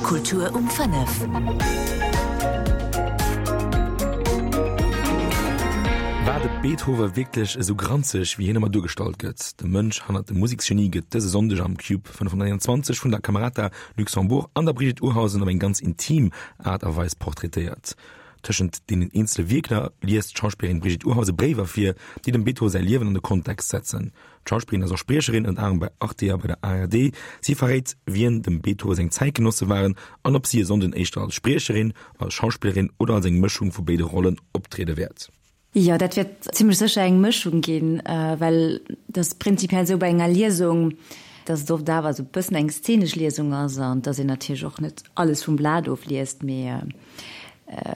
Kultur um 5. War de Beethoven wierklech esou granzeg, wéi hien ëmmer duergestallt gëtt? De Mënsch hannert dem Museksgenie gëtt dëse Sonndeg am Cube 521 vun der Camerata Luxembourg an der Brigitte Urhausen op eng ganz intim Aart a Weis portraitéiert. Tëschent deenen eenzele Wierker liest d'Schauspillerin Brigitte Urhausen Bréiwer vir, déi dem Beethoven säi Liewen an de Kontext setzen. D'Schauspillerin ass och Spriecherin, ënner anerem bei Arte a bei der ARD. Si verréit, wien dem Beethoven seng Zäitgenosse waren an ob si e Sonnden éischter als Spriecherin, als Schauspillerin oder als eng Mëschung vu béide Rollen optriede wäert. Jo, dat wäert zimmlech sécher eng Mëschung ginn, well et ass prinzipiell esou bei enger Liesung, dass et oft awer esou e bëssen eng szenesch Liesung ass an dass een natierlech och net alles vum Blat ofliest, mee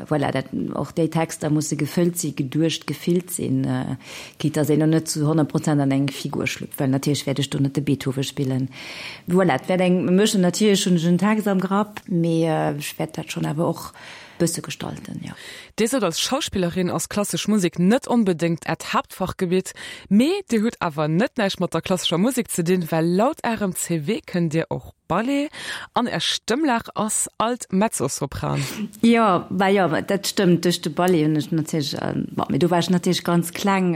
Voilà, dat, och déi Texter musse gefëllt sinn, geduecht, gefillt sinn, quitte dass een elo net zu 100 Prozent an eng Figur schlüpft, well natierlech wäert ech do net de Beethoven spillen. Voilà, et wäert eng Mëschung, natierlech hunn ech en Text am Grapp, mee ech wäert dat schonn awer och e bësse gestalten, jo. Dir sot, als Schauspillerin ass klassesch Musek net onbedéngt Äert Haaptfachgebitt, mee Dir hutt awer net näischt mat der klassescher Musek ze dinn, well laut Ärem CV kënnt Dir och Ballet an Är Stëmmlag ass alt Mezzosopran. Jo, bah jo, dat stëmmt. Duerch de Ballet hunn ech natierlech, bon, mee do war ech natierlech ganz kleng,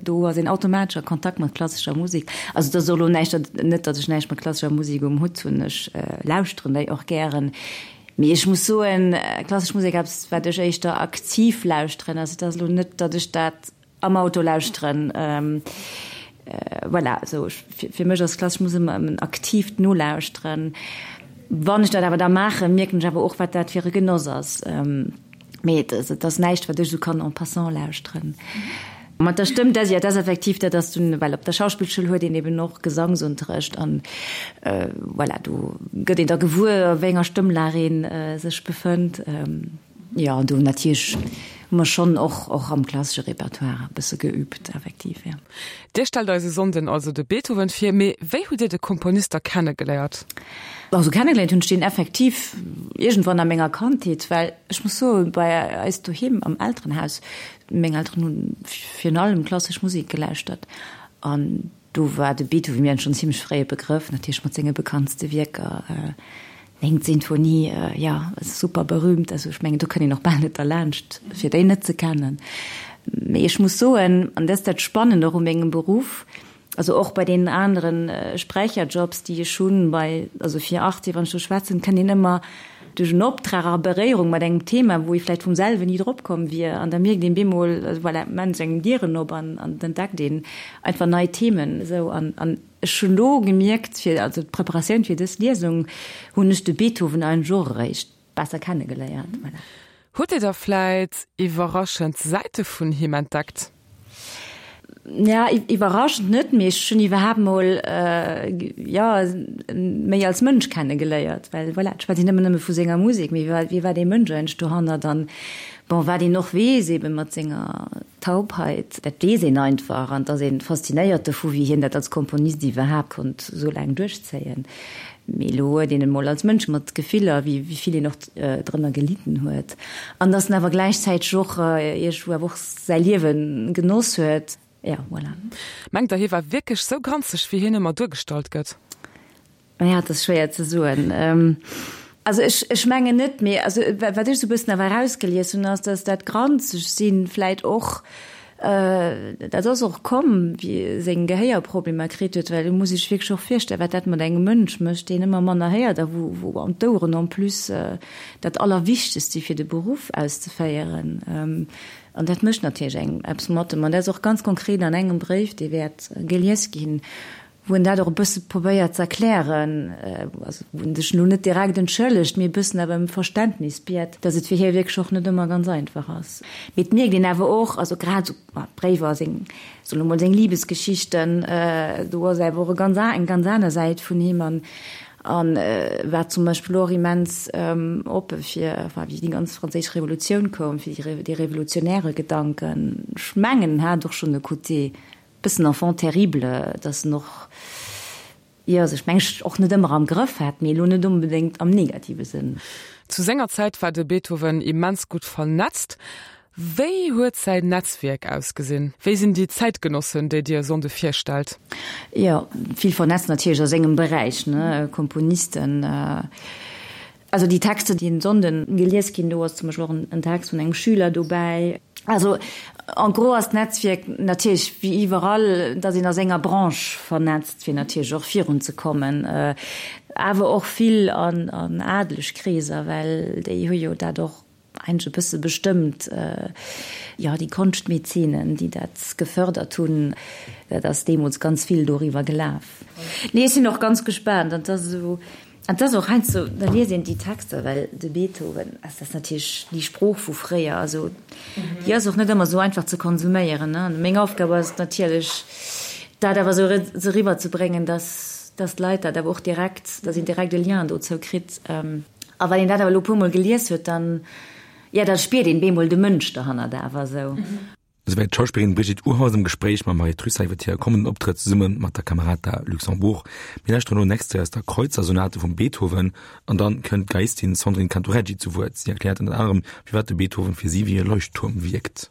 do ass een automatesch a Kontakt mat klassescher Musek. Also et ass och elo näischt, net datt ech näischt mat klassescher Musek um Hutt hunn, ech lauschteren déi och gären. Mee ech muss soen, klassesch Musek eppes wat ech éischter aktiv lauschteren. Also et ass elo net, datt ech dat Am Auto lauschteren. Voilà, esou fir mech ass klassesch Musek ëmmer en aktiivt Nolauschteren. Wann ech dat awer da maachen, mierken ech awer och, wat dat fir e Genoss ass. Mee et ass, et ass näischt, wat ech esou kann en passant lauschteren. Mat der Stëmm, dat, jo, dat ass effektiv, dat ass dunn, well op der Schauspillschoul huet een eben och Gesangsunterrecht an voilà, do gëtt een da gewuer, a wéi enger Stëmmlag ee sech befënnt. Jo, an do natierlech hu mer schonn och, och am klassesche Repertoire e bësse geübt, effektiv, jo. Dir stellt eis e Sonnden also de Beethoven vir, mee wéi hutt Dir de Komponist da kennegeléiert? Also kennegeléiert hunn ech deen effektiv iergendwann a menger Kandheet, well ech muss soen, bei eis doheem am Elterenhaus, meng Elteren hu virun allem klassesch Musek gelauschtert an Do war de Beethoven mir schonn zimmlech fréi e Begrëff, natierlech mat senge bekanntste Wierker, Néngt Sinfonie, jo, super berühmt, also ech mengen do kënnt een och bal net derlaanscht fir déi net ze kennen. Mee ech muss soen, an dat ass dat Spannend och u mengem Beruff, also och bei deenen anere Sprecherjobs déi ech hunn, bei, also fir Arte, wann ech do schwätzen, kënnt een ëmmer duerch en Optrag a Beréierung mat engem Thema, wou ee vläicht vum selwen ni drop komm wier, an da mierkt een bemol, also voilà, et maachen sech engem Dieren op an an et entdeckt een einfach nei Themen esou. An an ech hunn elo gemierkt, fir also d'Preparatioun fir dës Liesung hunn ech de Beethoven eigentlech och eréischt besser kennegeléiert, voilà. Hutt Dir da vläit iwwerraschend Säite vun him entdeckt? Ja, iwwerraschend net, mee ech hunn iwwerhaapt mol, jo, méi als Mënsch kennegeléiert, well voilà, et schwätzt een ëmmer nëmme vu senger Musek, mee wie war dee Mënsch eigentlech dohannert? An bon, wat een och weess, eebe mat senger Taubheit, dat weess een einfach an et ass ee faszinéiert dovu, wéi hien dat als Komponist iwwerhaapt konnt esou laang duerchzéien. Mee elo huet een en mol als Mënsch mat Gefiller, wéi vill een och drënner gelidden huet, an dass en awer gläichzäiteg och iergendwou awer och säi Liewe genoss huet. Jo, voilà. Mengt Der, hie war wierklech sou granzeg, wéi hien ëmmer duergestallt gëtt? Naja, et ass schwéier ze soen. Also ech, ech mengen net, mee also wat ech esou e bëssen awer erausgelies hunn, ass, dass dat granzeg sinn vläit och, dat ass och komm, wéi e seng Gehéierproblemer kritt huet, well et muss ee sech wierklech och virstellen, wat dat mat engem Mënsch mécht, deen ëmmer manner héiert a wou, wou an d'Oueren en plus dat Allerwichtegst si fir de Beruff auszeféieren. An dat mécht natierlech engem eppes mat em. An dat ass och ganz konkret an engem Bréif, dee wäert gelies ginn, wou en dat och e bësse probéiert ze erklären, also wou en sech elo net direkt entschëllegt, mee e bëssen awer ëm Verständnis biet, datt et fir hie wierklech och net ëmmer ganz einfach ass. Mee et mierkt een awer och, also grad esou d'Bréiwer, seng, soe lo mol, seng Libesgeschichten, do ass awer och e ganz eng ganz aner Säit vun him an an war zum Beispill och immens oppe fir, enfin wéi déi ganz franséisch Revolutioun koum, fir déi revolutionäre Gedanken. Ech mengen en hat och schonn e Côté Bëssen enfant terrible, dass en och, jo, sech meng ech och net ëmmer am Grëff hat, mee elo net onbedéngt am negative Sënn. Zu senger Zäit war de Beethoven immens gutt vernetzt. Wéi huet säin Netzwierk ausgesinn? Wéi sinn déi Zäitgenossen, déi Dir e Sonnde virstellt? Jo, vill vernetzt natierlech a sengem Beräich, ne, Komponisten. Also déi Texter, déi en Sonnden gelies ginn, do ass zum Beispill och en Text vun engem Schüler dobäi. Also en gros ass d'Netzwierk natierlech wéi iwwerall, datt een a senger Branche vernetzt, fir natierlech och virunzekommen, awer och vill an adeleg Kreeser, well déi hu jo dat och eigentlech e bësse bestëmmt, jo déi Konschtmäzenen, déi dat gefërdert hunn, dat ass deemools ganz vill doriwwer gelaf. Nee, ech sinn och ganz gespaant an 't ass esou, an 't ass och heiansdo, da liest een déi Texter, well de Beethoven, also dat ass natierlech déi Sprooch vu fréier, also déi ass och net ëmmer esou einfach ze konsuméieren, ne. An meng Aufgab ass et natierlech, dat awer esou esou eriwwerzebréngen, dass, dass d'Leit dat awer och direkt, dass een direkt e Lien dozou kritt. A wann een dat awer elo e puermol gelies huet, dann, jo, da spiert een bemol de Mënsch derhannert awer esou. Esouwäit d'Schauspillerin Brigitte Urhaus am Gespréich mam Marie Trussart iwwer hire kommenden Optrëtt zesumme mat der Camerata Luxembourg. Mir lauschteren elo en Extrait aus der Kreuzersonate vum Beethoven an dann kënnt d'Geiistin Sandrine Cantoreggi zu Wuert. Si erkläert ënnert anerem, firwat de Beethoven fir si wéi e Leuchttuerm wierkt.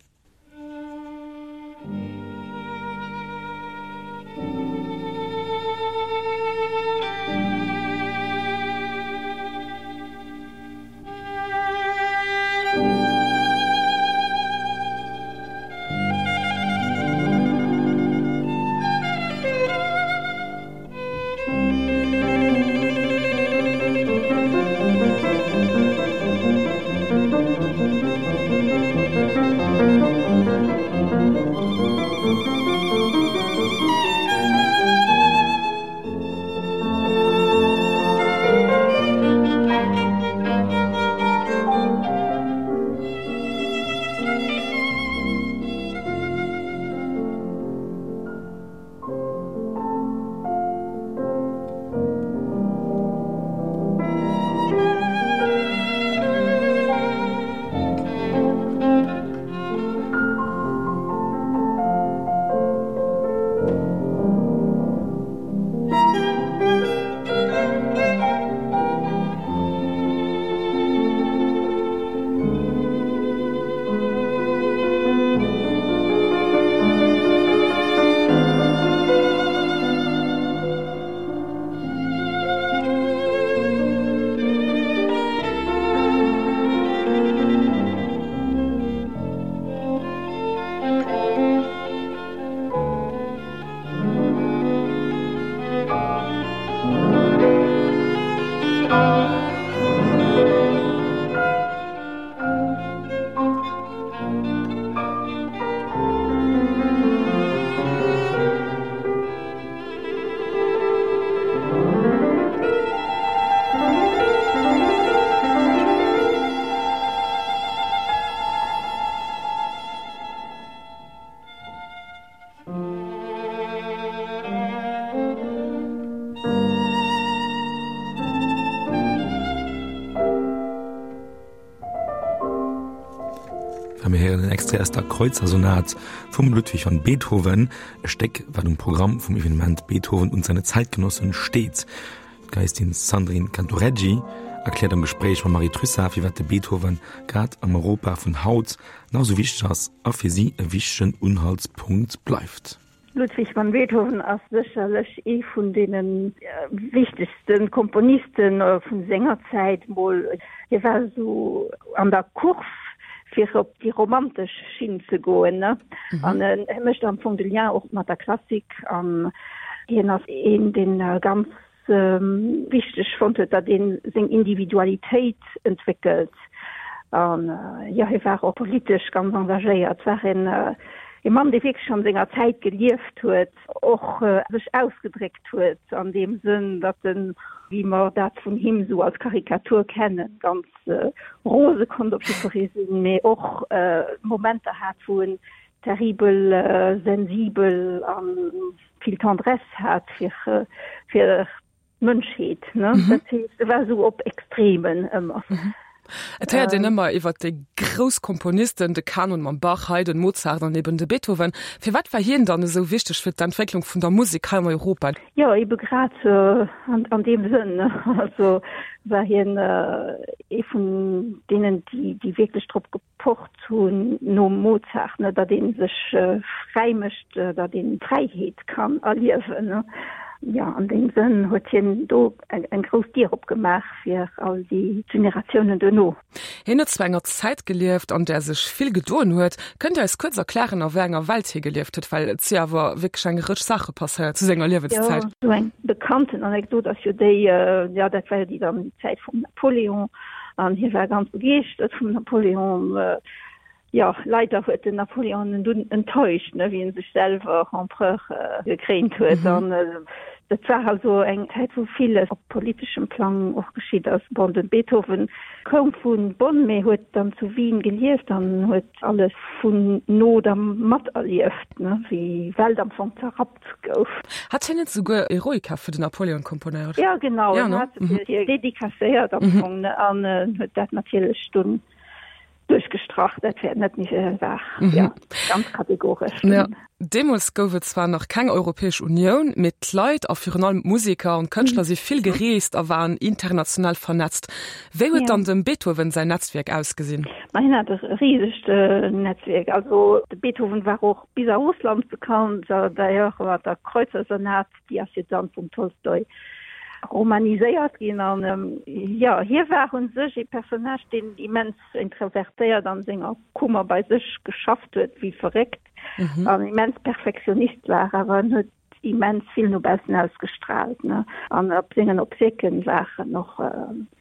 A mir héieren en Extrait aus der Kreuzersonat vum Ludwig van Beethoven, e Stéck, wat um Programm vum Evenement Beethoven und seine Zeitgenossen steet. D'Geiistin Sandrine Cantoreggi erkläert am Gespréich mam Marie Trussart, firwat de Beethoven grad am Europa vun haut nach esou wichteg ass a fir si e wichtegen Unhaltspunkt bleift. Ludwig van Beethoven ass sécherlech ee vun deene wichtegste Komponiste vu senger Zäit mol. Hie war esou an der Course fir op déi romantesch Schinn ze goen, an hie mécht am Fong de Lien och mat der Klassik an hien ass een, deen ganz wichteg fonnt huet, datt ee seng Individualitéit entwéckelt. An jo, hie war och politesch ganz engagéiert, war een e Mann, dee wierklech an senger Zäit gelieft huet, och sech ausgedréckt huet an deem Sënn, datt en, wéi mer dat vun him esou als Karikatur kennen, ganz rose konnt op jiddweree sinn, mee och Momenter hat, wou en terribel sensibel a vill Tendresse hat fir fir d'Mënschheet, ne? Dat heescht, e war esou op Extremen ëmmer. Et héiert een ëmmer iwwer déi grouss Komponisten, de Kanon mam Bach, Haydn, Mozart an eben de Beethoven. Firwat war hien dann esou wichteg fir d'Entwécklung vun der Musek hei an Europa? Jo, ebe grad an deem Sënn. Also war hien ee vun deenen, déi wierklech drop gepocht hunn, nom Mozart, ne, datt ee sech fräi mécht, datt een d'Fräiheet kann erliewen. Jo, an deem Sënn huet hien do eng grouss Dier opgemaach fir all déi Generatiounen duerno. Hien huet zu enger Zäit gelieft, an där sech vill gedoen huet. Kënnt Dir eis kuerz erklären, a wéi enger Welt hie gelieft huet? Well et si awer wierklech eng Rëtsch Saache passéiert zu senger Liewenszäit. Jo, esou eng bekannten Anekdot ass jo déi, jo, dat war jo déi dann déi Zäit vum Napoléon, an hie war ganz begeeschtert vum Napoléon. Jo, leider huet den Napoléon en dunn enttäuscht, ne, wéi en sech selwer Empereur gekréint huet. An dat war also eng Zäit, wou villes op politeschem Plang och geschitt ass. Bon, de Beethoven koum vu Bonn, mee huet dann zu Wien gelieft an huet alles vun no da materlieft, ne, wéi d'Welt am Fong zerrappt gouf. Hat hien net souguer Eroica fir den Napoléon komponéiert? Jo, genau, en hat se fir hie dedicacéiert am Fong, ne, an huet dat natierlech dunn Duerchgestrach, dat wär net méi wahr. Jo, ganz kategoresch. Ja. Deemools gouf et zwar nach keng Europäesch Unioun, mee d'Leit a virun allem d'Museker an d'Kënschtler si vill gereest a waren international vernetzt. Wéi huet dann dem Beethoven säin Netzwierk ausgesinn? Ma hien hat e risegt Netzwierk. Also de Beethoven war och bis a Russland bekannt, d'ailleurs mat der Kreuzersonat. Déi ass jo dann vum Tolstoi romaniséiert ginn. An jo, hie war u sech ee Personnage, deen immens introvertéiert an senger Kummer bei sech geschafft huet wéi verréckt an immens Perfektionist war, awer en huet immens vill no baussen ausgestraalt, ne. An op sengen Obséquen waren och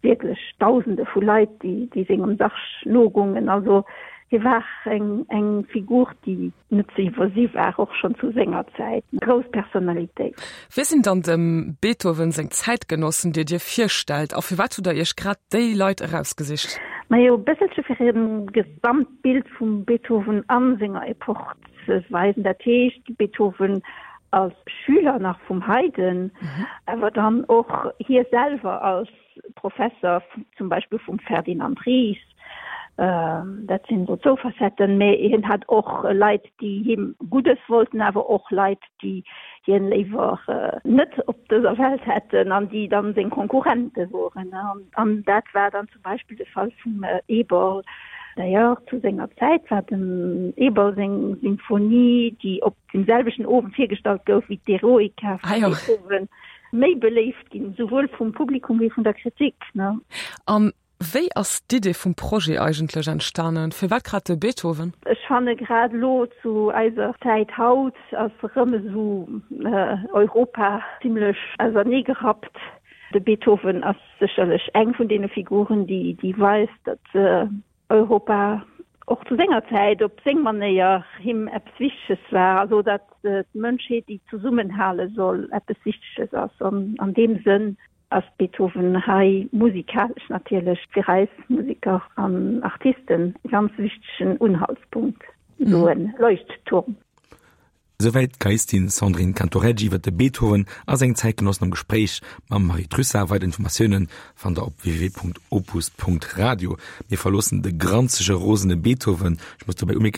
wierklech Dausende vu Leit, déi déi sengem Sarg nogungen. Also hie war eng eng Figur, déi net ze iwwersi war, och schonn zu senger Zäit eng grouss Personalitéit. Wie sinn dann dem Beethoven seng Zäitgenossen, déi Dir virstellt, a firwat hutt Der Iech grad déi Leit erausgesicht? Majo, e bësselche fir e Gesamtbild vum Beethoven a senger Epoch ze weisen. Dat heescht, Beethoven als Schüler nach vum Haydn, awer dann och hie selwer als Professer zum Beispill vum Ferdinand Ries, dat sinn esou zwou Facetten, mä hien hat och Leit, déi him Guddes wollten, awer och Leit, déi hien léiwer net op dëser Welt hätten an déi dann seng Konkurrente woren. An dat war dann zum Beispill de Fall vum Eberl. D'ailleurs, zu senger Zäit war dem Eberl seng Symphonie, déi op deem selwechten Owend virgestallt gouf wéi d'Eroica vum Beethoven, méi beléift ginn, souwuel vum Publikum wéi vun der Kritik. An wéi ass d'Idee vum Projet eigentlech entstanen? Firwat grad de Beethoven? Ech fanne grad elo zu eiser Zäit haut ass erëm esou Europa zimlech auserneegerappt. De Beethoven ass sécherlech eng vun deene Figuren, déi weist, datt Europa och zu senger Zäit op seng Manéier him eppes Wichteges war, also datt d'Mënschheet, déi zesummenhale soll, eppes Wichteges ass. An an deem Sënn ass Beethoven hei musikalesch natierlech fir eis Museker an Artisten e ganz wichtegen Unhaltspunkt, esou e Leuchtturm. Souwäit d'Geiistin Sandrine Cantoreggi iwwer de Beethoven a seng Zäitgenossen am Gespréich mam Marie Trussart. Weider Informatioune fannt der op www.opus.radio. Mir verloossen de granzege rosene Beethoven. Ech muss dobäi umierken.